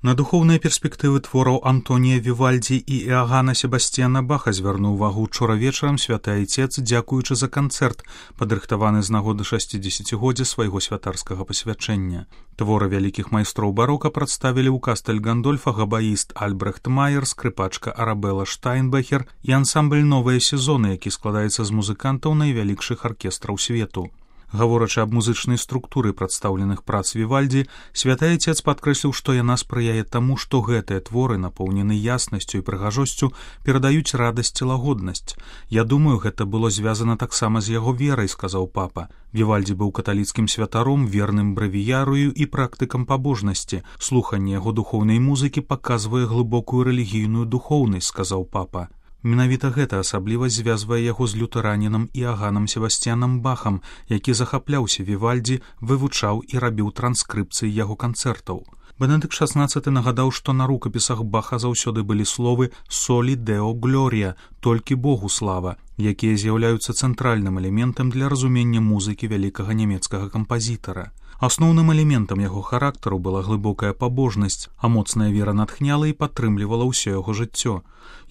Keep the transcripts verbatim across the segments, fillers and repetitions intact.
На духоўныя перспектывы твораў Антонія Вівальдзі і Іагана Себасціяна Баха звярнуў увагу ўчора вечарам святы айцец, дзякуючы за канцэрт, падрыхтаваны з нагоды шасцідзесяцігоддзя свайго святарскага пасвячэння. Творы вялікіх майстроў барока прадставілі ў Кастэль Гандольфа габаіст Альбрехт Майер, скрыпачка Арабела Штайнбехер і ансамбль «Новыя сезоны», які складаецца з музыкантаў найвялікшых аркестраў свету. Гаворачы аб музычнай структуры прадстаўленых прац Вівальдзі, святы айцец падкрэсліў, што яна спрыяе таму, што гэтыя творы, напоўнены яснасцю і прыгажосцю, перадаюць радасць і лагоднасць. «Я думаю, гэта было звязана таксама з яго верай», — сказаў папа. Вівальдзі быў каталіцкім святаром, верным бравіярою і практыкам пабожнасці. «Слуханне яго духоўнай музыкі паказвае глыбокую рэлігійную духоўнасць», — сказаў папа. Менавіта гэта асаблівасць звязвае яго з лютэранінам Іаганам Себасціянам Бахам, які захапляўся Вівальдзі, вывучаў і рабіў транскрыпцыі яго канцэртаў. Бенедыкт шаснаццаты нагадаў, што на рукапісах Баха заўсёды былі словы «Солі Део Глорія», «Толькі Богу слава», якія з'яўляюцца цэнтральным элементам для разумення музыкі вялікага нямецкага кампазітара. Асноўным элементам яго характару была глыбокая пабожнасць, а моцная вера натхняла і падтрымлівала ўсё яго жыццё.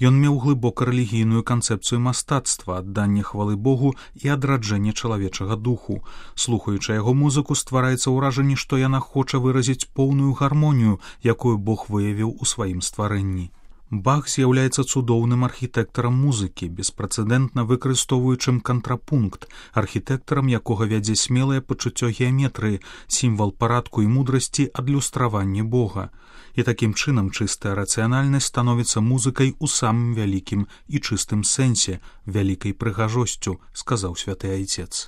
Ён меў глыбока рэлігійную канцэпцыю мастацтва, адданне хвалы Богу і адраджэнне чалавечага духу. Слухаючы яго музыку, ствараецца ўражанне, што яна хоча выразіць поўную гармонію, якую Бог выявіў у сваім стварэнні. Бах з'яўляецца цудоўным архітэктарам музыкі, беспрэцэдэнтна выкарыстоўваючым кантрапункт, архітэктарам якога вядзе смелае пачуццё геаметрыі, сімвал парадку і мудрасці, адлюстраванне Бога. І такім чынам чыстая рацыянальнасць становіцца музыкай у самым вялікім і чыстым сэнсе, вялікай прыгажосцю, сказаў святы айцец.